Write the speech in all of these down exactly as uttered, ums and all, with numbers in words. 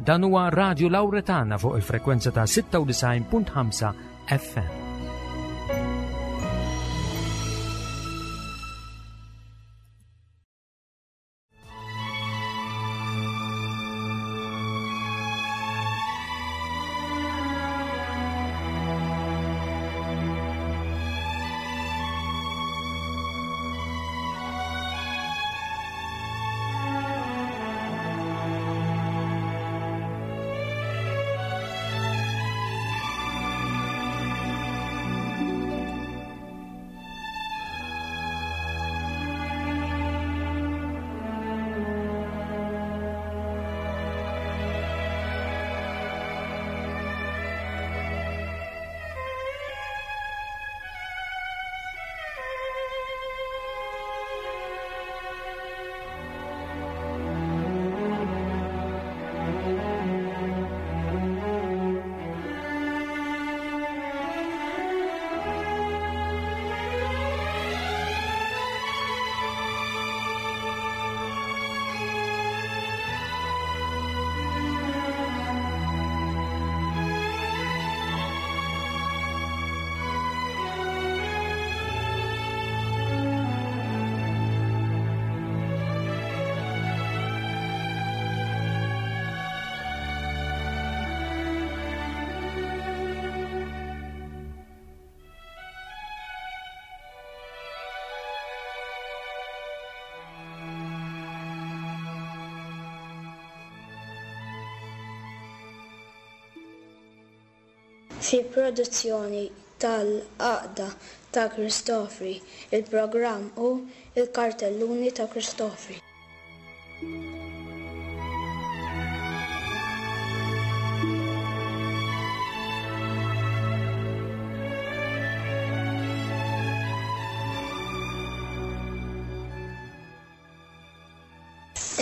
Dan huwa Radio Lauretana fuq il-frekwenza ta' sitta u disgħin punt ħamsa F M. Fi produzzjoni tal-Għaqda ta' Cristofri, il-programm hu il-Kartelluni ta' Cristofri.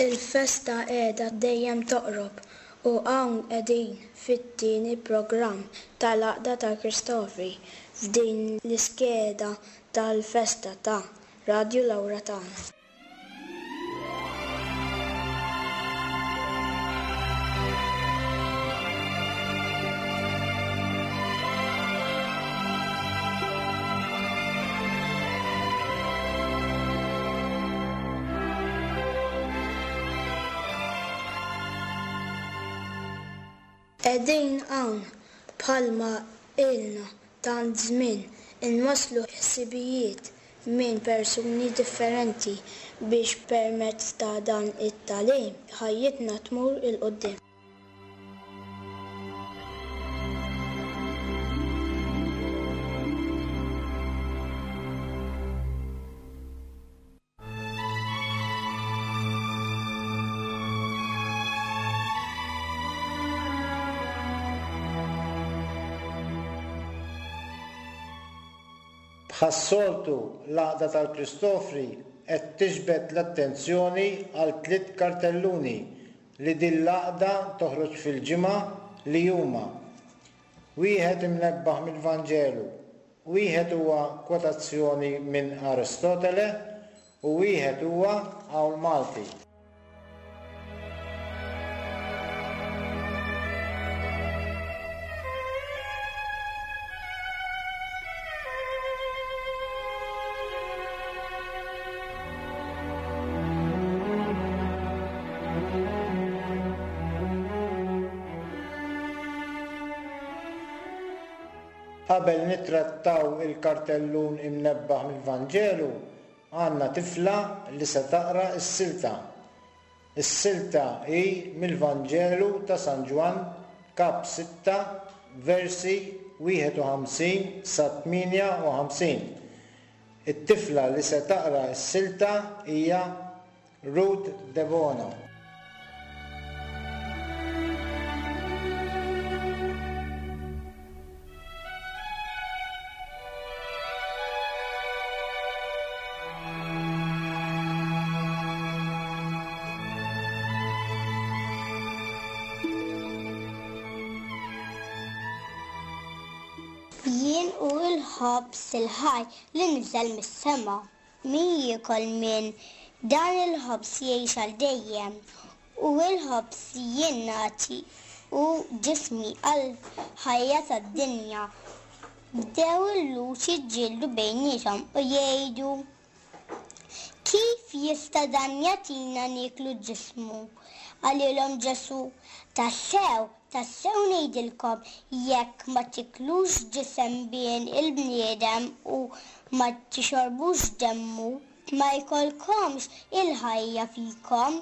Il-festa qiegħda dejjem toqrob u hawn qegħdin fit-tieni programm tal-Għaqda ta' Cristofri f'din l-iskeda tal-festa ta' Radio Lauretana. Qegħdin hawn bħalma ilna tant żmien inwasslu ħsibijiet minn persuni differenti biex permezz ta' dan it-tagħlim ħajjitna tmur 'il quddiem. Bħas-soltu l-Għaqda tal-Cristofri qed tiġbed l-attenzjoni għal tliet kartelluni li din l-għaqda toħroġ fil-ġimgħa li huma: wieħed imnebbaħ mill-Vanġelu, wieħed huwa kwotazzjoni minn Aristotele u wieħed huwa Qawl Malti. Qabel nittrattaw il-kartellun imnebbaħ mill-Vanġelu, għandna tifla li se taqra s-silta. Is-silta hi mill-Vanġelu ta' San Ġwann, kap sitta, versi wieħed u ħamsin sa tmienja u ħamsin. It-tifla li se taqra s-silta hija Ruth Debono. Jien u l-ħobż il-ħaj li niżel mis-sema. Min jiekol minn dan il-ħobż jgħix għal dejjem, U l-ħobż li jien nagħti hu ġismi għall-ħajja tad-dinja. Bdew il-Lhud jiġġieldu bejniethom u jgħidu: Kif jista' dan jagħtina nieklu ġismu? Qalilhom Ġesù: Tassew, tassew ngħidilkom, jekk ma tiklux ġisem Bin il-bniedem u ma tixorbux demmu, ma jkollkomx il-ħajja fikom.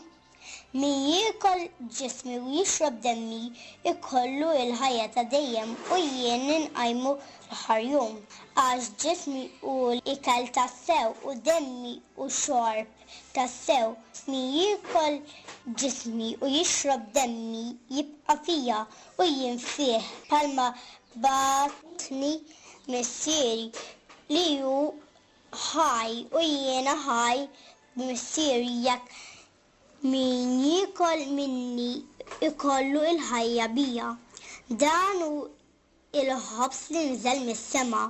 Min jiekol ġismi u jixrob demmi ikollu l-ħajja ta' dejjem u jien inqajmu fl-aħħar jum. Għax ġismi hu ikel tassew u demmi hu xorb tassew. Min jiekol ġismi u jixrob demmi jibqa' fija u jien fih, bħalma bagħatni Missieri li hu ħaj u jiena ħaj b'Missieri, jekk min jiekol minni ikollu l-ħajja bija. Dan hu il-ħobż li nżel mis-sema,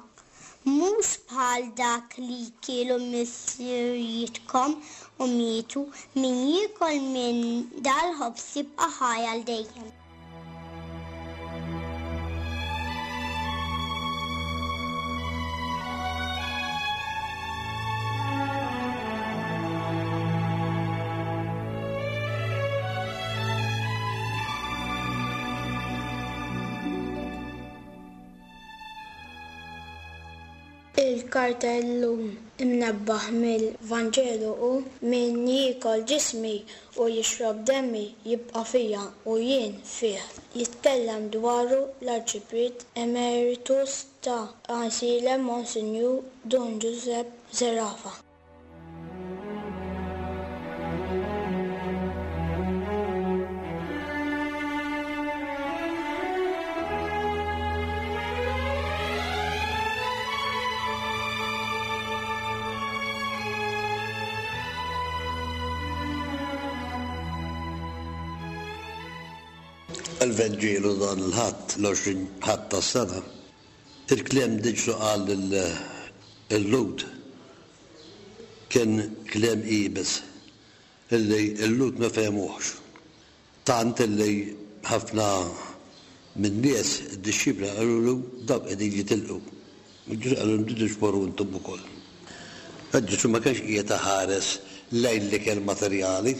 mhux bħal dak li kielu missirijietkom u mietu. Min jiekol minn dal-ħobż jibqa' ħaj għal dejjem. Il-kartellun imnebbaħ mill-Vanġelu hu: Min jiekol ġismi u jixrob demmi jibqa' fija u jien fih. Jitkellem dwaru l-Arċipriet Emeritus ta' Għajnsielem Monsinjur Dun Giuseppe Zerafa. Il-Vanġelu dan il-Ħadd, l-għoxrin Ħadd tas-sena, il-kliem li Ġesù qal lil-Lhud kien kliem iebes illi l-Lhud ma fehmuhx. Tant illi ħafna min-nies, id-dixxipli qalulu dawk qegħdin jitilqu. Ġesù qalilhom tridu tmorru intom ukoll. Ġesù ma kienx qiegħed iħares lejn l-ikel materjali.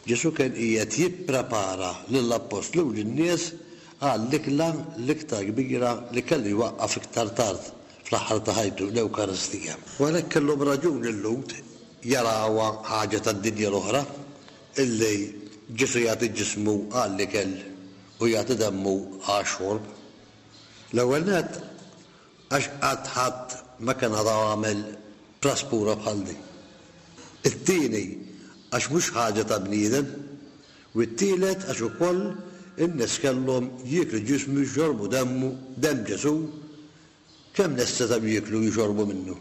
Ġesù kien qiegħed jipprepara lill-appostli u lin-nies għall-ikla l-iktar kbira li kellu jwaqqaf iktar tard fl-aħħar ta' ħajtu, l-Ewkaristija. U għalhekk kellhom raġun il-Lhud jarawha ħaġa tad-dinja l-oħra illi Ġesù jagħti ġismu għall-ikel u jagħti demmu għax-xorb. L-ewwel nett għax qatt ħadd ma kien għadu għamel praspura bħal din. It-tieni għax mhux ħaġa ta' bniedem, u t-tielet għax ukoll in-nies kellhom jieklu ġismu jxorbu demmu, demm Ġesù, kemm nies setgħu jieklu jxorbu minnu.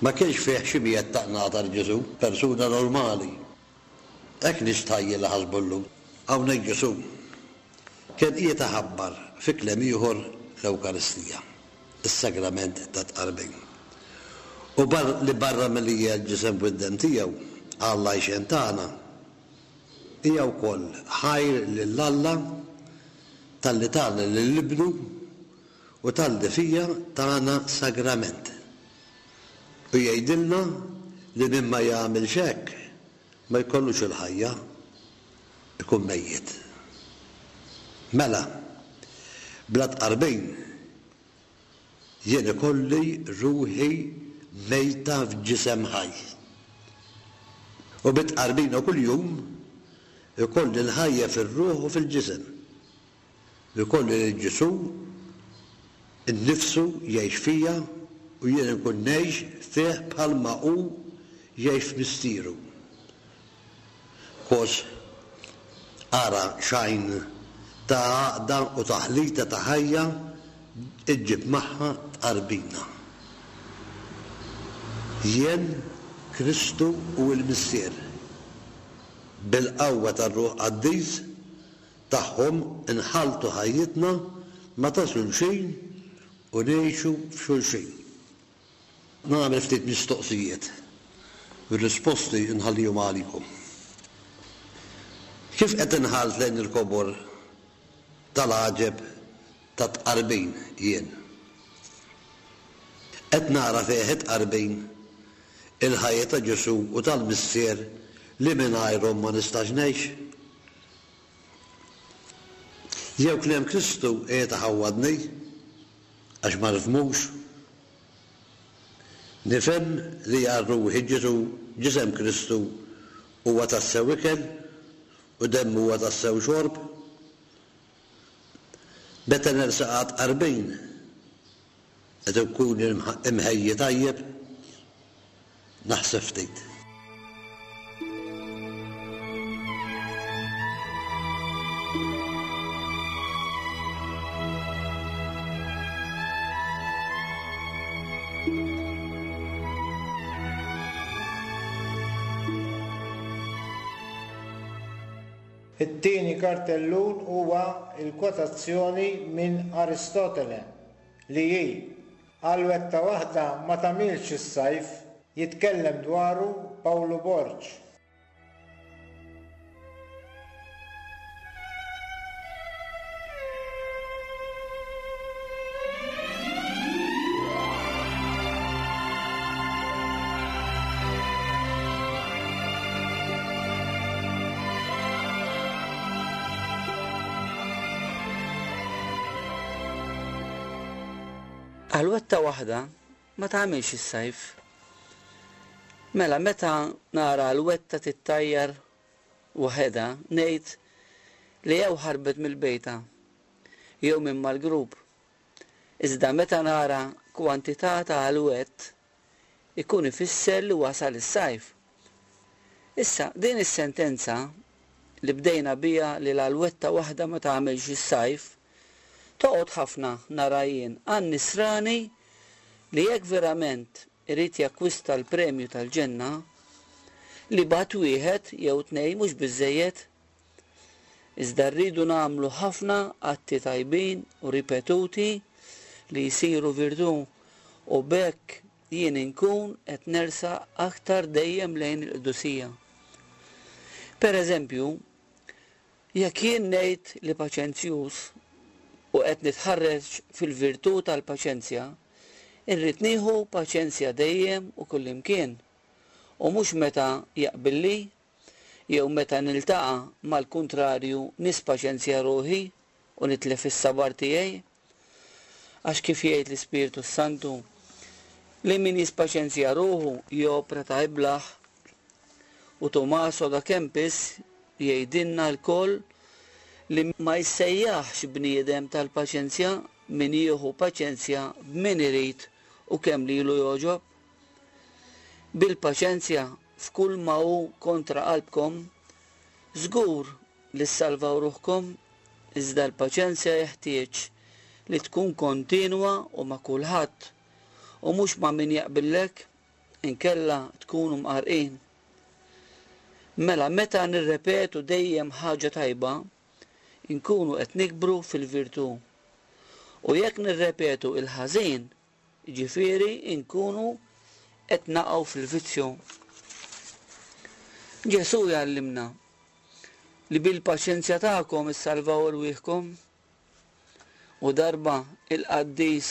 Ma kienx fih xi mijiet ta' qnatar Ġesù, persuna normali. Hekk nistħajjel li ħasbu llum. Hawnhekk Ġesù kien qiegħed iħabbar fi kliem ieħor l-Ewkaristija, is-sagrament ta' tqarbin. U bar-, li barra milli hija l-ġisem u d-demm tiegħu għall-għajxien tagħna, hija wkoll ħajr lil Alla talli tagħna lil Ibnu u talli fija tagħna sagrament. U jgħidilna li min ma jagħmilx hekk ma jkollux il-ħajja, ikun mejjet. Mela, bla tqarbin jien ikolli ruħi mejta f'ġisem ħaj. U bit-tqarbina kuljum ikolli l-ħajja fir-ruħ u fil-ġisem. Ikolli lil Ġesù innifsu jgħix fija u jien inkun ngħix fih bħalma hu jgħix f'missieru. Kos ara xajn ta' għaqda u taħlita ta' ħajja iġġib magħha tqarbina. Jien, Kristu u l-Missier, bil-qawwa tar-Ruħ Qaddis tagħhom inħaltu ħajjitna ma ta' xulxin u ngħixu f'xulxin. Nagħmel ftit mistoqsijiet. Ir-risposti nħallihom għalikom. Kif qed inħares lejn il-kobor tal-għaġeb tat-tqarbin jien? Qed nara fih it-tqarbin il-ħajja ta' Ġesù u tal-Missier li mingħajrhom ma nistax ngħix? Jew kliem Kristu qiegħed iħawwadni għax ma nifhmux? Nifhem li għal ruħi Ġesù ġisem Kristu huwa tassew ikel u demmu huwa tassew xorb? Meta nersaq għat-tqarbin qed ikun imħejji tajjeb? Naħseb ftit. It-tieni kartellun huwa l-kwotazzjoni minn Aristotele li hi Għalwetta waħda ma tagħmilx is-sajf, jitkellem dwaru Pawlu Borg. Għalwetta waħda ma tagħmilx is-sajf. Mela meta nara għalwetta tittajjar waħedha ngħid li jew ħarbet mill-bejta jew minn mal-grupp. Iżda meta nara kwantità ta' għalwett ikun ifisser li wasal is-sajf. Issa din is-sentenza li bdejna biha li l-għalwetta waħda ma tagħmilx is-sajf toqgħod ħafna nara jien għan-nisrani li jekk verament irid jakkwista l-premju tal-ġenna li bat wieħed jew tnejn mhux biżżejjed. Iżda rridu nagħmlu ħafna atti tajbin u ripetuti li jsiru virtù u b'hekk jien inkun qed nersaq aktar dejjem lejn il-qdusija. Per eżempju, jekk jien ngħid li paċenzjuż u qed nitħarreġ fil-virtù tal-paċenzja, irrid nieħu paċenzja dejjem u kullimkien, u mhux meta jaqbilli jew meta niltaqa' mal-kuntrarju nispaċenzja ruħi u nitlef is-sabar tiegħi. Għax kif jgħid l-Ispirtu Santu, li min jispaċenzja ruħu jopra ta' iblaħ. U Tommaso da Kempis jgħidilna lkoll li ma jissejjaħx bniedem tal-paċenzja min jieħu paċenzja b'min irid u kemm lilu jogħġob. Bil-paċenzja f'kull ma hu kontra qalbkom, żgur li ssalvaw ruħkom, iżda l-paċenzja jeħtieġ li tkun kontinwa u ma' kulħadd u mhux ma' min jaqbillek, inkella tkunu mqarqin. Mela meta nirrepetu dejjem ħaġa tajba, inkunu qed nikbru fil-virtù. U jekk nirrepetu il-ħażin, jiġifieri inkunu qed naqgħu fil-vizzju. Ġesù jgħallimna li bil-paċenzja tagħkom issalvaw irwieħkom. U darba il-qaddis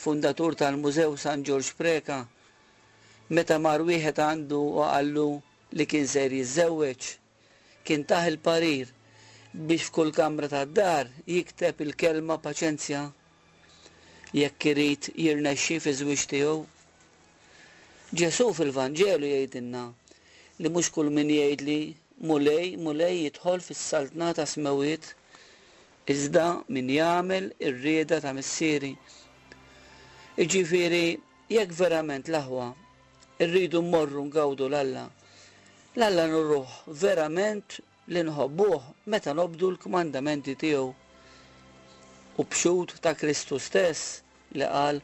fundatur tal-Mużew San Ġorġ Preca, meta mar wieħed għandu u qallu li kien ser jiżżewweġ, kien tah il-parir biex f'kull kamra tad-dar jikteb il-kelma paċenzja jekk irid jirnexxi fiż-żwieġ tiegħu. Ġesù fil-Vanġelu jgħidilna li mhux kull min jgħidli Mulej, Mulej jidħol fis-saltna ta' smewiet, iżda min jagħmel ir-rieda ta' missieri. Jiġifieri jekk verament l-aħwa rridu mmorru ngawdu l-Alla, l-Alla nurruh verament li nħobbuh meta nobdu l-kmandamenti tiegħu. U b'xhud ta' Kristu stess li qal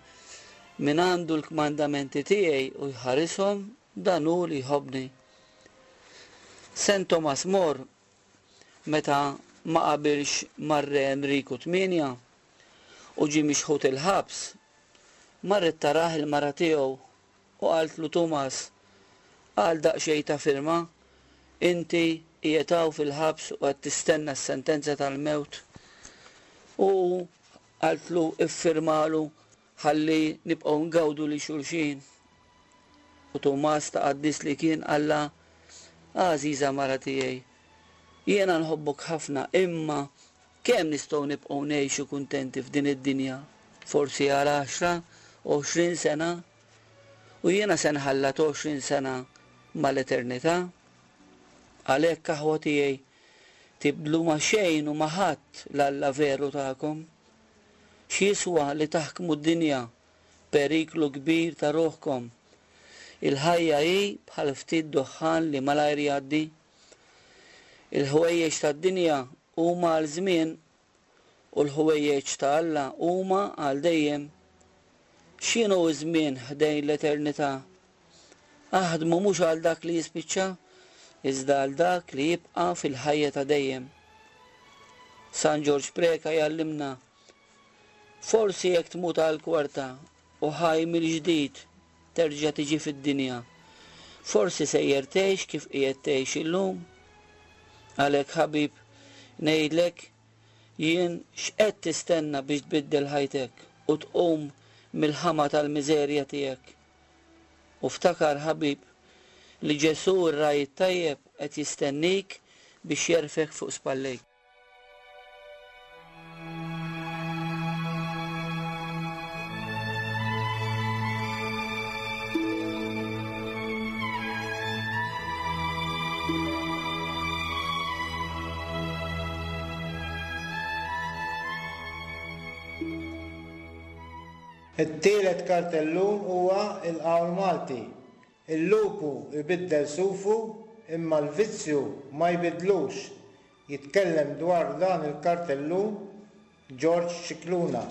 min għandu l-kmandamenti tiegħi u jħarishom, dan hu li jħobbni. Saint Thomas More meta ma qabilx mar-re Enriku tmienja u ġie mixħut il-ħabs, marret tarah il-mara tiegħu u qaltlu Thomas, għal daqsxejn ta' firma, inti qiegħed hawn fil-ħabs u qed tistenna s-sentenza tal-mewt. U qaltlu iffirmalu ħalli nibqgħu ngawdu li xulxin. U Tumas ta' qaddis li kien qallha, għażiża mara tiegħi, jiena nħobbok ħafna, imma kemm nistgħu nibqgħu ngħixu kuntenti f'din id-dinja? Forsi għal għaxra, għoxrin sena, u jiena se nħallat għoxrin sena mal-eternità. Għalhekk aħwa tiegħi, tibdlu ma' xejn u ma' ħadd l-Alla veru tagħkom. X'jiswa li taħkmu d-dinja, periklu kbir ta' ruħkom. Il-ħajja hi bħal ftit duħħan li malajr jgħaddi. Il-ħwejjeġ tad-dinja huma għal żmien u l-ħwejjeġ ta' Alla huma għal dejjem. X'inhu ż-żmien ħdejn l-eternità? Aħdmu mhux għal dak li jispiċċa, iżda għal dak li jibqa' fil-ħajja ta' dejjem. San Ġorġ Preca jgħallimna, forsi jekk tmut għal kwarta u ħaj mill-ġdid terġa' tiġi fid-dinja, forsi sejjer tgħix kif qiegħed tgħix illum. Għalhekk ħabib, ngħidlek jien x'qed tistenna biex tbiddel ħajtek u tqum mill-ħama tal-miżerja tiegħek. U ftakar ħabib li Ġesù r-ragħaj it-tajjeb qed jistennik biex jerfek fuq spallejk. It-tielet kartellun huwa il-qawl Malti. Il-lupu ibiddel sufu imma l-vizzju ma jbidlux. Jitkellem dwar dan il-kartellun George Scicluna.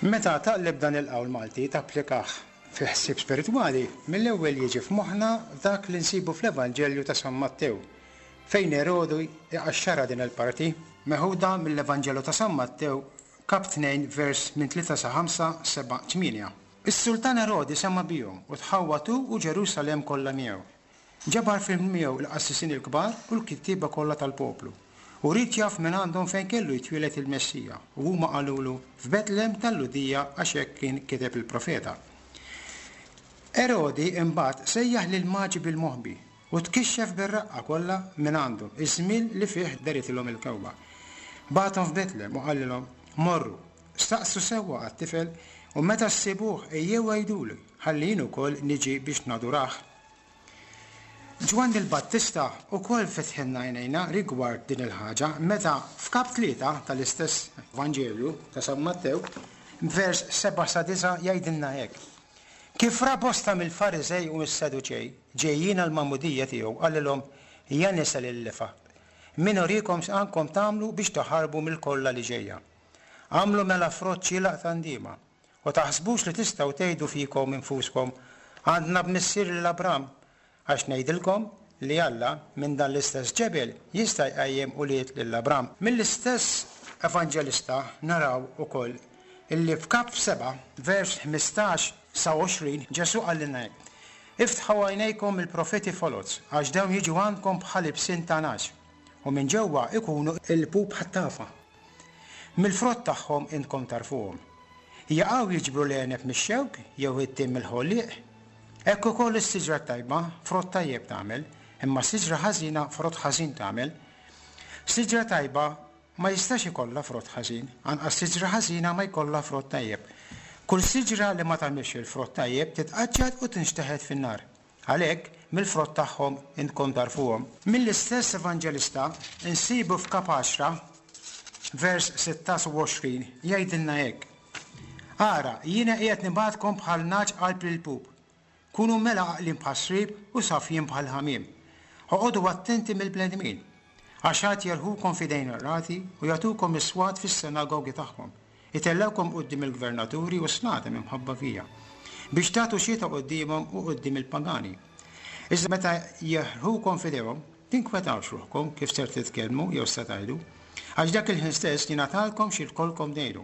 Meta taqleb dan il-qawl Malti tapplikah fi ħsieb spiritwali, mill-ewwel jiġi f'moħħna dak li nsibu fl-Evanġelju ta' San Mattew, fejn Erodu iqaxxara din il-parti, meħuda mill-Evanġelju ta' San Mattew, kap tnejn, vers minn tlieta sa ħamsa, seba', tmienja. Is-sultan Erodi sema' bihom u tħawwatu u Ġerusalemm kollha miegħu. Ġabar fil miegħu l-qassisin il-kbar u l-kittieba kollha tal-poplu. U ried jaf minn għandhom fejn kellu jitwieled il-Messija, u huma qalulu f'Betlem tal-Lhudija għax hekk kien kiteb il-profeta. Erodi imbagħad sejjaħ lil maġi bil-moħbi u tkixxef bir-raqqa kollha minn għandhom iż-żmien li fih deritilhom il-kewba. Bagħathom f'Betlem u qalilhom, morru, staqsu sewwa għat-tifel u meta ssibuh ejjew għiduli ħalli jien ukoll niġi biex nadurah. Ġwanni l-Battista ukoll fetħilna għajnejna rigward din il-ħaġa meta f'kap tlieta tal-istess Vanġelju ta' San Mattew, vers seba' sa disa' jgħidilna hekk. Kif ra bosta mill-Fariżej u mis-Saduċej ġejjin għall-magħmudija tiegħu, qalilhom, ja nisa lil-lifa, min urikom x'għandkom tagħmlu biex taħarbu mill-kollha li ġejja. Għamlu mela frott xieraq ta' ndiema, u taħsbux li tistgħu tgħidu fikom infuskom, għandna b'missier lil Abram, għax ngħidilkom li Alla minn dan l-istess ġebel jista' jqajjem ulied lil Abram. Mill-istess evanġelista naraw ukoll illi f'kap seba' vers ħmistax sa għoxrin Ġesù qalilna hekk. Iftħu għajnejkom il-profeti foloz, għax dawn jiġu għandkom bħal ibsin ta' nagħaġ, u minn ġewwa ikunu il-pup ħattafa. Mill-frott tagħhom intkom tarfuhom. Jaqgħu jiġbru l-għeneb mix-xewk jew it-tim mill-ħolliq. Hekk ukoll is-siġra tajba frott tajjeb tagħmel, imma siġra ħażina frott ħażin tagħmel. Siġra tajba ma jistax ikollha frott ħażin, anqas siġra ħażina ma jkollha frott tajjeb. Kull siġra li ma tagħmilx il-frott tajjeb titqaċċat u tinxteħet fin-nar. Għalhekk mill-frott tagħhom intkom tarfuhom. Mill-istess evanġelista insibu f'kap għaxra vers sittax u għoxrin jgħidilna hekk. Ara, jiena qiegħed nibgħatkom bħal nagħaġ qalb il-pup. Kunu mela għaqlin bħas-srieb u safjin bħal ħamiem. Oqogħdu attenti mill-bnedmin, għax għad jerħukom f'idejn ir-rati u jagħtukom is-swat fis-sinagogi tagħhom. Itellewkom quddiem il-gvernaturi u s-slaten minħabba fija, biex tagħtu xhieda quddiemhom u quddiem il-pagani. Iżda meta jeħlukom f'idejhom, tinkwetawx ruħkom kif ser titkellmu jew se tgħidu, għax dak il-ħin stess jingħatalkom xi jkollkom tgħidu.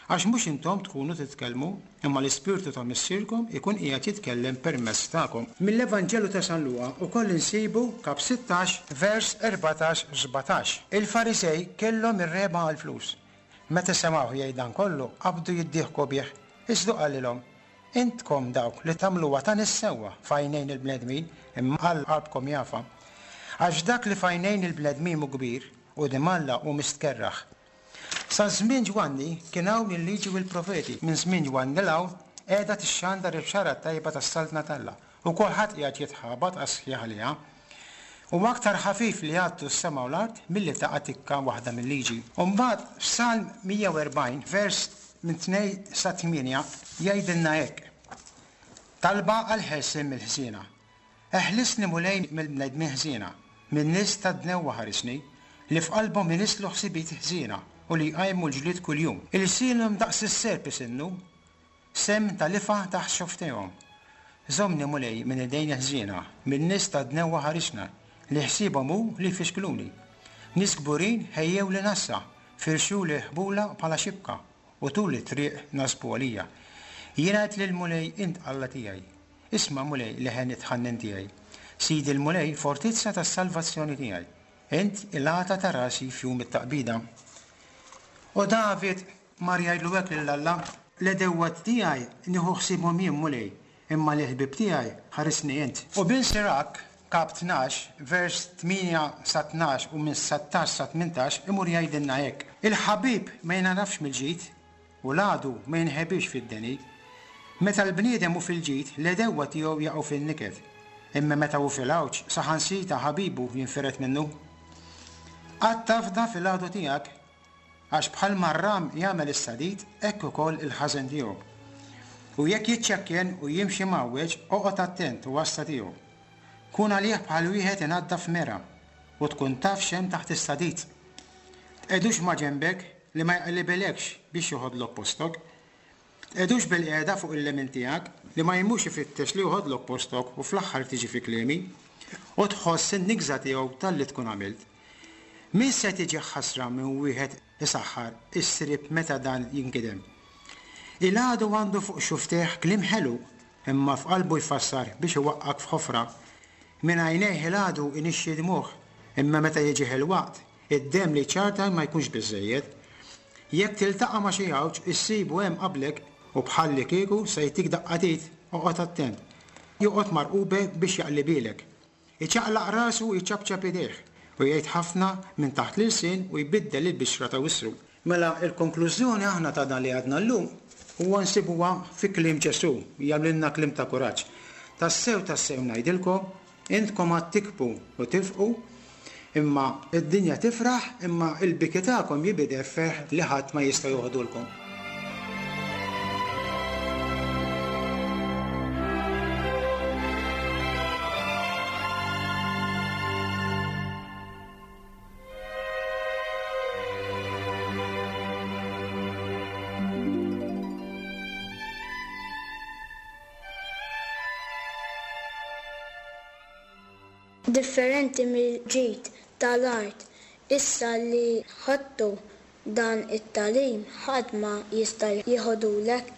Għax mhux intom tkunu titkellmu, imma l-Ispirtu ta' Missierkom ikun qiegħed jitkellem permezz tagħkom. Mill-Evanġelu ta' San Luqa wkoll insibu kap sittax vers erbatax sbatax. Il-Farisej kellhom ir-regħba għall-flus. Meta semgħuh jgħid dan kollu, qabdu jiddieħku bih. Iżda qalilhom, intkom dawk li tagħmluha ta' nies sewwa f'għajnejn il-bnedmin, imma Alla qalbkom jafa. Għax dak li f'għajnejn il-bnedmin hu kbir, quddiem Alla hu mistkerraħ. Sa żmien Ġwanni kien hawn il-liġi u l-profeti. Minn żmien Ġwanni 'l hawn qiegħda tixxandar il-bxara tajba tas-Saltna t'Alla, u kulħadd qiegħed jitħabat għas-sħiħ għaliha. U aktar ħafif li jgħaddu s-sema u l-art milli taqa' tikka waħda mill-liġi. U mbagħad f'Salm mija u erbgħin vers minn tnejn sa tmienja jgħidilna hekk. Talba għall-ħelsien mill-ħżiena. Eħlisni Mulej mill-bnedmin ħżiena, min-nies tad-dnewwa ħarisni, li f'qalbhom inislu ħsibijiet ħżiena u li jqajmu l-ġlied kuljum. Ilsienhom daqs is-serp isinnu, semm tal-ifa taħt xoftejhom. Żommni Mulej minn idejn il-ħżiena, min-nies tad-dnewwa ħarisna, li ħsiebhom hu li jfixkluni. Nies kburin ħejjew li nassa, firxu li ħbula bħala xibka, u tul it-triq nasbu għalija. Jiena għedt lil Mulej, int Alla tiegħi. Isma' Mulej leħen it-tħannin tiegħi. Sidi l-Mulej fortizza tas-salvazzjoni tiegħi. Int il-għata ta' rasi f'jum it-taqbida. U David mar jgħidlu hekk lil Alla, l-għedewwa tiegħi nieħu ħsiebhom jien Mulej, imma l-ħbieb tiegħi ħarisni int. U bin Sirak, kap tnax, vers tmienja sa tnax u minn settax sa tmintax imur jgħidilna hekk. Il-ħabib ma jingħarafx mill-ġid u l-għadu ma jinħebix fid-deni. Meta l-bniedem hu fil-ġid, l-għedewwa tiegħu jaqgħu fin-niket. Imma meta hu fil-għawġ, saħansita ħabibu jinfired minnu. Qatt tafda fil-għadu tiegħek, għax bħal marram jagħmel is-sadid, hekk ukoll il-ħażen tiegħu. U jekk jiċċekken u jimxi mgħawweġ, oqgħod attent u għassa tiegħu. Kun għalih bħal wieħed inaddaf mera u tkun taf x'hemm taħt is-sadid. Tqegħdux ma' ġenbek li ma jqallibilekx biex joħodlok postok. Tqegħdux bil-qiegħda fuq il-lemin tiegħek li ma jmux ifittex li joħodlok postok u fl-aħħar tiġi fi kliemi u tħoss in-nigża tiegħu talli tkun għamilt. Min se tiġi ħasra minn wieħed isaħħar is-srib meta dan jinkidem. Il-għadu għandu fuq xuftejh kliem ħelu, imma f'qalbu jfassar biex iwaqqak f'ħofra. Minn għajnejh il-għadu inixxi dmuh, imma meta jiġih il-waqt, id-demm li ċarta ma jkunx biżżejjed. Jekk tiltaqa' ma' xi għawġ, issibu hemm qablek u bħalli kieku se jtik daqqatit, oqgħod attent. Joqgħod marqube biex jaqlibilek. Iċaqlaq rasu u jċapċap idejh u jgħid ħafna minn taħt l-ilsien u jbiddel il-bixra ta' wisru. Mela il-konklużjoni aħna ta' dan li għadna llum huwa nsibuha fi kliem Ġesù, jagħmlilna kliem ta' kuraġġ. Tassew tassew ngħidilkom, intkom għad tikbu u tifqu, imma id-dinja tifraħ, imma il-biki tagħkom jibidel ferħ li ħadd ma jista' joħodulkom. Differenti mill-ġid tal-art, issa li ħadtu dan it-tagħlim ħadd ma jista' jieħodulek,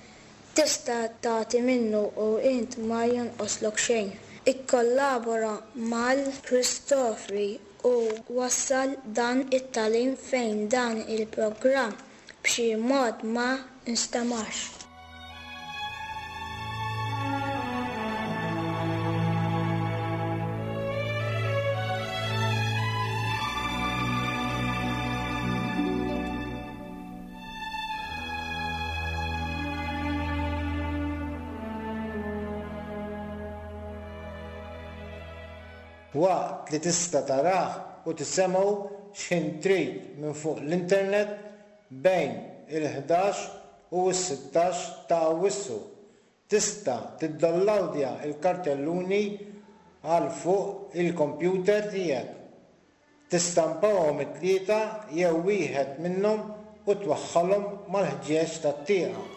tista' tagħti minnu u int ma jonqoslok xejn. Ikkollabora mal-Kristofri u wassal dan it-tagħlim fejn dan il-programm b'xi mod ma nstemax. Waqt li tista' tarah u tisemgħu x'ħin trid minn fuq l-internet bejn il-ħdax u s-sittax ta' Awwissu. Tista' tiddownloadja l-kartelluni għal fuq il-kompjuter tiegħek. Tistampahom it-tlieta jew wieħed minnhom u twaħħalhom mal-ħġieġ tat-tieqa.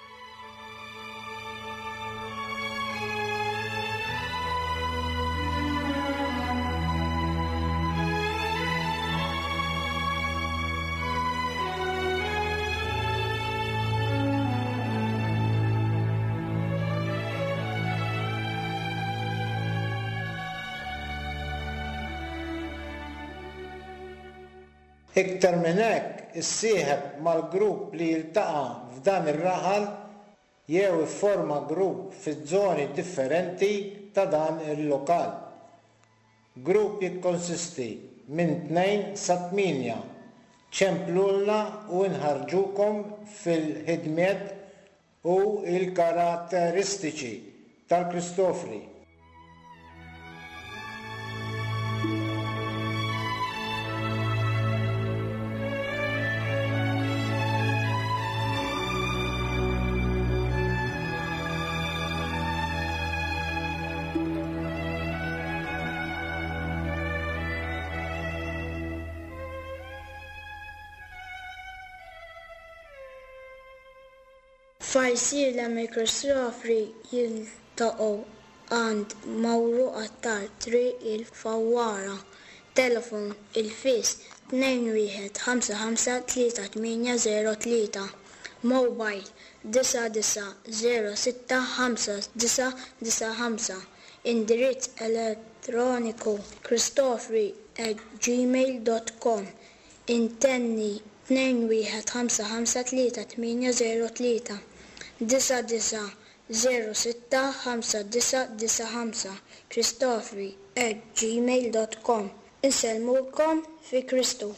Iktar minn hekk, issieħeb mal-grupp li jiltaqa' f'dan ir-raħal jew ifforma grupp fiż-żoni differenti ta' dan il-lokal. Grupp jikkonsisti minn tnejn sa tmienja. Ċemplulna u nħarrġukom fil-ħidmiet u l-karatteristiċi tal-Kristofri. F'Għajsirlem il-Kristofri jiltaqgħu għand Mauro Attard, Triq il-Fawwara, telefon il-fis tnejn wieħed ħamsa ħamsa tlieta tmienja żero tlieta, mobile disa' disa' żero sitta ħamsa disa' disa' ħamsa, indirizz elettroniku kristofri at gmail dot com, intenni tnejn wieħed ħamsa ħamsa tlieta tmienja żero tlieta, disa' disa' żero sitta ħamsa disa' disa' ħamsa, kristofri at gmail dot com. Insellmulkom fi Kristu.